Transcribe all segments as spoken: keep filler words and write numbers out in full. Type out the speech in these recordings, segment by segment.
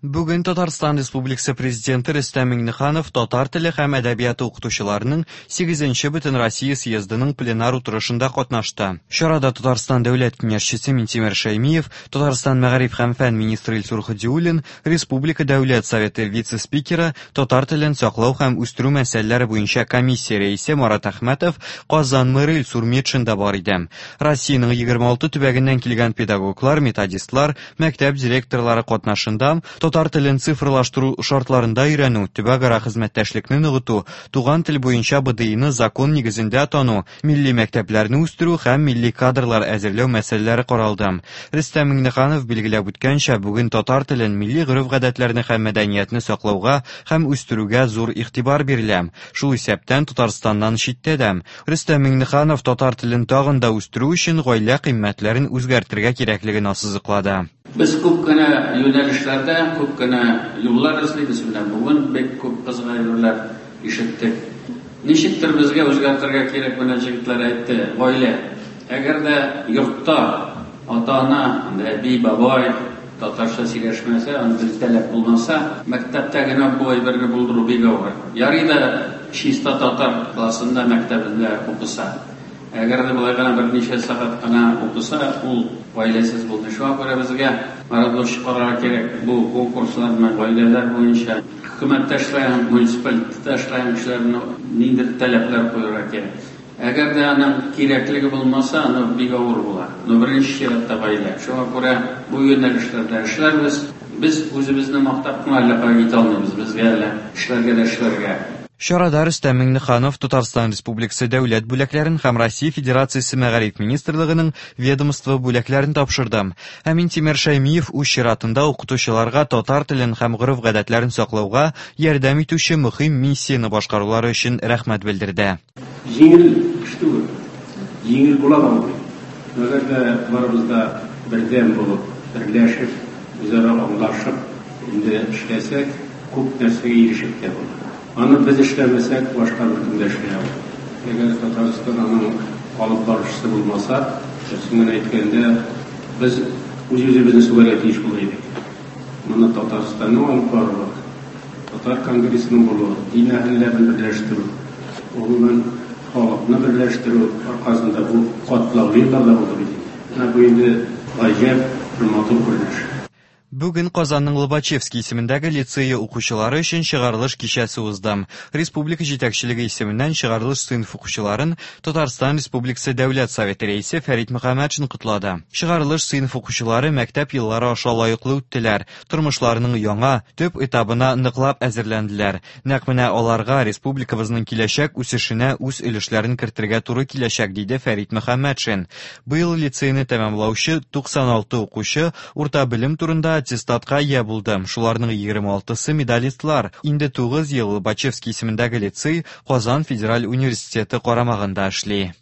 Бүген Татарстан Республикасы Президенты Рөстәм Миңнеханов татар теле һәм әдәбияты укытучыларының сигезенче Бөтенроссия съездының пленар утырышында катнашты. Чарада Татарстан Дәүләт Киңәшчесе Минтимер Шәймиев, Татарстан мәгариф һәм фән министры Илсур Һадиуллин, Республика Дәүләт Советы вице-спикеры, татар телен саклау һәм үстерү мәсьәләләре буенча комиссия рәисе Марат Әхмәтов, Казан мэры Илсур Метшин да бар иде. Россиянең егерме алты төбәгеннән килгән педагоглар, методистлар, мәктәп директорлары катнашында татар телен цифрлаштыру шартларында өйрәнү, төбәкара хезмәттәшлекне ныгыту, туган тел буенча Б Д I-ны закон нигезендә тану, милли мәктәпләрне үстерү һәм милли кадрлар әзерләү мәсьәләләре каралды. Рөстәм Миңнеханов билгеләп үткәнчә, бүген татар телен, милли гореф-гадәтләрне һәм мәдәниятне саклауга һәм үстерүгә зур игътибар бирелә. Шул исәптән Татарстаннан читтә дә. Рөстәм Миңнеханов татар телен тагын да үстерү өчен гаилә кыйммәтләрен үзгәртергә кирәклеген ассызыклады. Без күп кенә юнәлешләрдә, күп кенә юллар эзлибез. Менә бүген бик күп кызык әйберләр ишеттек. Ничектер безгә үзгәртергә кирәк, менә җегетләр әйтте, гаилә. Әгәр дә йортта ата-ана, әби, бабай татарча сөйләшмәсә, андый таләп булмаса, мәктәптә генә бу әйберне булдыру бик авыр. Ярый да чиста татар классында, мәктәбендә укыса. Әгәр дә болай гына берничә сәгать кына укыса, ул гаиләсез булды. Шуңа күрә безгә марафон чыгарырга кирәк. Бу конкурсларны гаиләләр буенча хөкүмәттә эшләгән, муниципалитетта эшләгән кешеләрне ниндидер таләпләр куярга кирәк. Әгәр дә аның кирәклеге булмаса, аны бик авыр була. Но беренче чиратта гаилә. Шуңа күрә бу юнәлешләрдә эшләрбез. Без үзебезне мактап кына әллә кая китә алмыйбыз. Безгә әле эшләргә дә эшләргә. Чарада Рөстәм Миңнеханов Татарстан Республикасы дәүләт бүләкләрен һәм Россия Федерациясе Мәгариф Министрлыгының ведомство бүләкләрен тапшырды. Ә Минтимер Шәймиев үз чиратында укытучыларга татар телен һәм гореф-гадәтләрен саклауга ярдәм итүче мөһим миссияне башкарулары өчен рәхмәт белдерде. Җиңел эш түгел. Җиңел була алмый. Әгәр дә барыбыз да бердәм булып, берләшеп, үзара аңлашып инде эшләсәк, күп нәрсәгә ирешеп тә була. Аны без эшләмәсәк, башка беркем дә эшли алмый. Әгәр Татарстан аның алып баручысы булмаса, дөресен генә әйткәндә, без үз-үзебезне сүгәргә тиеш булыр идек. Моны Татарстанның алып баруы, Татар конгрессының булуы, дин әһелләрен берләштерү, гомумән халыкны берләштерү аркасында бу катлаулы елларда булды бит инде. Менә бу инде гаҗәп бер матур күренеш. Бүген Казанның Лобачевский исемендәге лицее укучылары өчен чыгарылыш кичәсе узды. Республика җитәкчелеге исеменнән чыгарылыш сыйныф укучыларын Татарстан Республикасы Дәүләт Советы рәисе Фәрит Мөхәммәтшин котлады. Чыгарылыш сыйныф укучылары мәктәп еллары аша лаеклы үттеләр, тормышларының яңа төп этабына ныклап әзерләнделәр. Нәкъ менә аларга республикабызның киләчәк үсешенә үз өлешләрен кертергә туры киләчәк, диде Фәрит Мөхәммәтшин. Быел лицейны тәмамлаучы туксан алты укучы урта белем турында аттестатка ия булды. Шуларның егерме алтысы медалистлар. Инде тугыз ел Лобачевский исемендәге лицей Казан федераль университеты карамагында эшли.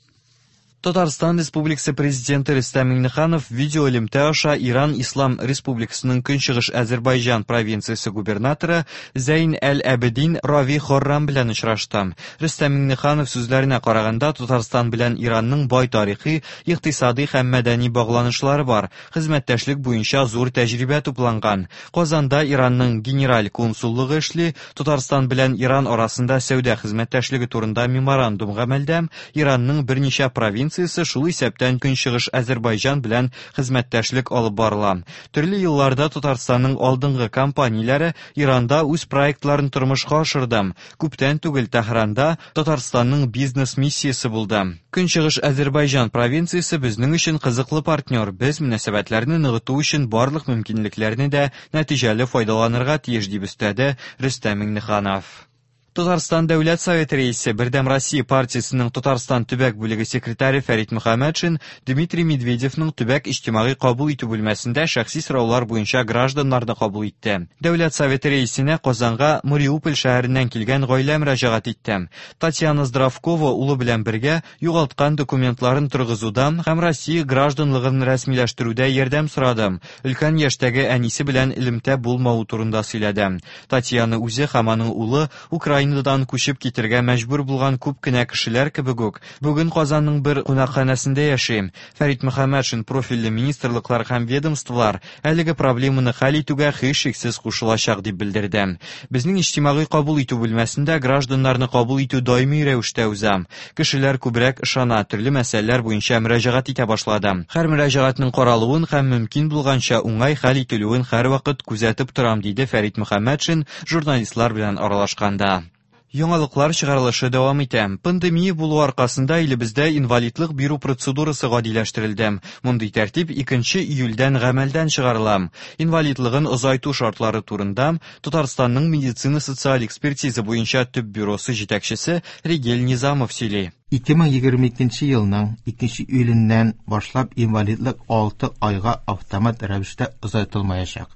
Татарстан Республикасы Президенты Рөстәм Миңнеханов видеоэлемтә аша Иран Ислам Республикасының Көнчыгыш Азербайҗан провинциясе губернаторы Зәйн әл-Әбедин Рави Хоррам белән очрашты. Рөстәм Миңнеханов сүзләренә караганда, Татарстан белән Иранның бай тарихи, икътисади һәм мәдәни багланышлары бар, хезмәттәшлек буенча зур тәҗрибә тупланган. Казанда Иранның генераль консуллыгы эшли, Татарстан белән Иран арасында сәүдә хезмәттәшлеге турында меморандум гамәлдә, Иранның берничә провинциясе шул исәптән Көнчыгыш Азербайҗан белән хезмәттәшлек алып барыла. Төрле елларда Татарстанның алдынгы компанияләре Иранда үз проектларын тормышка ашырды. Күптән түгел Тәһранда Татарстанның бизнес миссиясе булды. Көнчыгыш Азербайҗан провинциясе безнең өчен кызыклы партнер. Без мөнәсәбәтләрне ныгыту өчен барлык мөмкинлекләрне дә нәтиҗәле файдаланырга тиеш, дип өстәде Рөстәм Миңнеханов. Татарстан Дәүләт Советы рәисе, Бердәм Россия партиясенең Татарстан төбәк бүлеге секретаре Фәрит Мөхәммәтшин Дмитрий Медведевның төбәк иҗтимагый кабул итү бүлмәсендә шәхси сораулар буенча гражданнарны кабул итте. Дәүләт Советы рәисенә Казанга Мариуполь шәһәреннән килгән гаилә мөрәҗәгать итте. Татьяна Здравкова улы белән бергә югалткан документларын торгызуда һәм Россия гражданлыгын рәсмиләштерүдә ярдәм сорады. Өлкән яшьтәге әнисе белән элемтә булмавы турында сөйләде. Татьяна үзе һәм аның улы Украина Украинадан күчеп китергә мәҗбүр булган күп кенә кешеләр кебек үк, бүген Казанның бер кунакханәсендә яши. Фәрит Мөхәммәтшин профильле министрлыклар һәм ведомстволар әлеге проблеманы хәл итүгә һичшиксез кушылачак дип белдерде. Безнең иҗтимагый кабул итү бүлмәсендә гражданнарны кабул итү даими рәвештә уза. Кешеләр күбрәк ышана, төрле мәсьәләләр буенча мөрәҗәгать итә башлады. Һәр мөрәҗәгатьнең каралуын һәм мөмкин булганча уңай хәл ителүен һәрвакыт күзәтеп торам, диде Фәрит Мөхәммәтшин журналистлар белән аралашканда. Яңалыклар чыгарылышы дәвам итә. Пандемия булу аркасында илебездә инвалидлык бирү процедурасы гадиләштерелде. Мондый тәртип икенче июльдән гамәлдән чыгарыла. Инвалидлыгын озайту шартлары турында Татарстанның медицина социаль экспертиза буенча төп бюросы җитәкчесе Ригель Низамов сөйли. ике мең егерме икенче елның икенче июленнән башлап инвалидлык алты айга автомат рәвештә озайтылмаячак.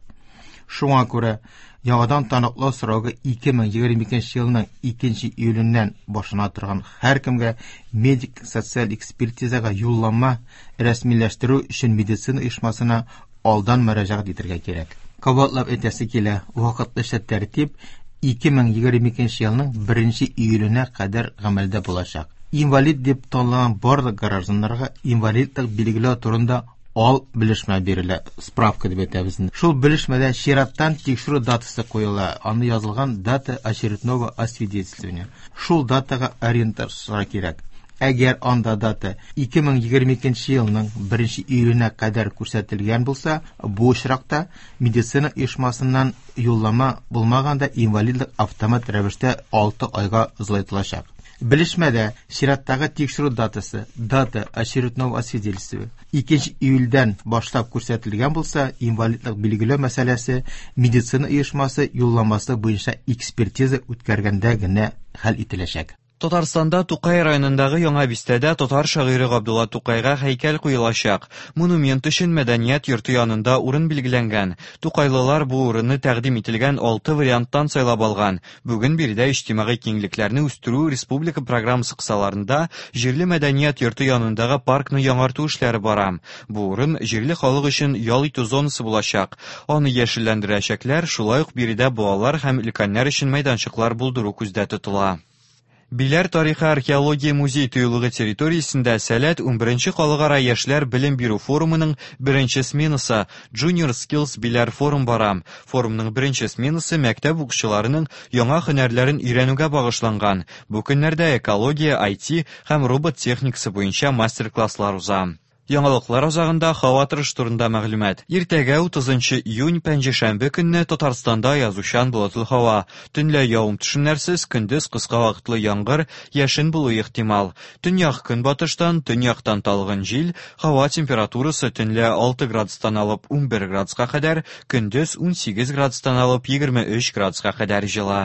Шуңа күрә яңадан таныклау срогы ике мең егерме икенче елның икенче июленнән башлана торган һәркемгә медик социаль экспертизага юллама рәсмиләштерү өчен медицина оешмасына алдан мөрәҗәгать итәргә кирәк. Кабатлап әйтәсе килә, вакытлыча тәртип ике мең егерме икенче елның беренче июленә кадәр гамәлдә булачак. Инвалид дип танылган барлык гражданнарга инвалидлык билгеләү турында ал белешмә бирелә, справка дип әйтәбез. Шул белешмәдә чираттан тикшерү датасы куела, аны язылган дата очередного освидетельствования. Шул датага ориентация кирәк. Әгәр анда дата ике мең егерме икенче елның беренче июленә кадәр күрсәтелгән булса, бу очракта медицина оешмасыннан юллама булмаганда инвалидлык автомат рәвештә алты айга озайтылачак. Белешмәдә чираттагы тикшерү датасы, дата очередного освидетельствования икенче июльдән башлап күрсәтелгән булса, инвалидлык билгеләү мәсьәләсе медицина оешмасы юлламасы буенча экспертиза үткәргәндә генә хәл ителәчәк. Татарстанда Тукай районындагы Яңа бистәдә татар шагыйре Габдулла Тукайга һәйкәл куелачак. Монумент өчен мәдәният йорты янында урын билгеләнгән. Тукайлылар бу урынны тәкъдим ителгән алты варианттан сайлап алган. Бүген биредә иҗтимагый киңлекләрне үстерү республика программасы кысаларында җирле мәдәният йорты янындагы паркны яңарту эшләре бара. Бу урын җирле халык өчен ял итү зонасы булачак. Аны яшелләндерәчәкләр, шулай ук биредә балалар һәм өлкәннәр өчен мәйданчыклар булдыру күздә тотыла. Биләр тарихы археология музей тыюлыгы территориясендә Сәләт унберенче халыкара яшьләр белем бирү форумының беренче сменасы Junior Skills Биләр форум бара. Форумның беренче сменасы мәктәп укучыларының яңа һөнәрләрен өйрәнүгә багышланган. Бу көннәрдә экология, ай ти һәм робот техникасы буенча мастер-класслар уза. Яңалыклар азагында һава торышы турында мәгълүмат. Иртәгә утызынчы июнь пәнҗешәмбе көнне Татарстанда язучан болытлы һава. Төнлә явым-төшемнәрсез, көндез кыска вакытлы яңгыр, яшен булу ихтимал. Төньяк көнбатыштан, төньяктан талгын җил, һава температурасы төнлә алты градустан алып унбер градуска кадәр, көндез унсигез градустан алып егерме өч градуска кадәр җылы.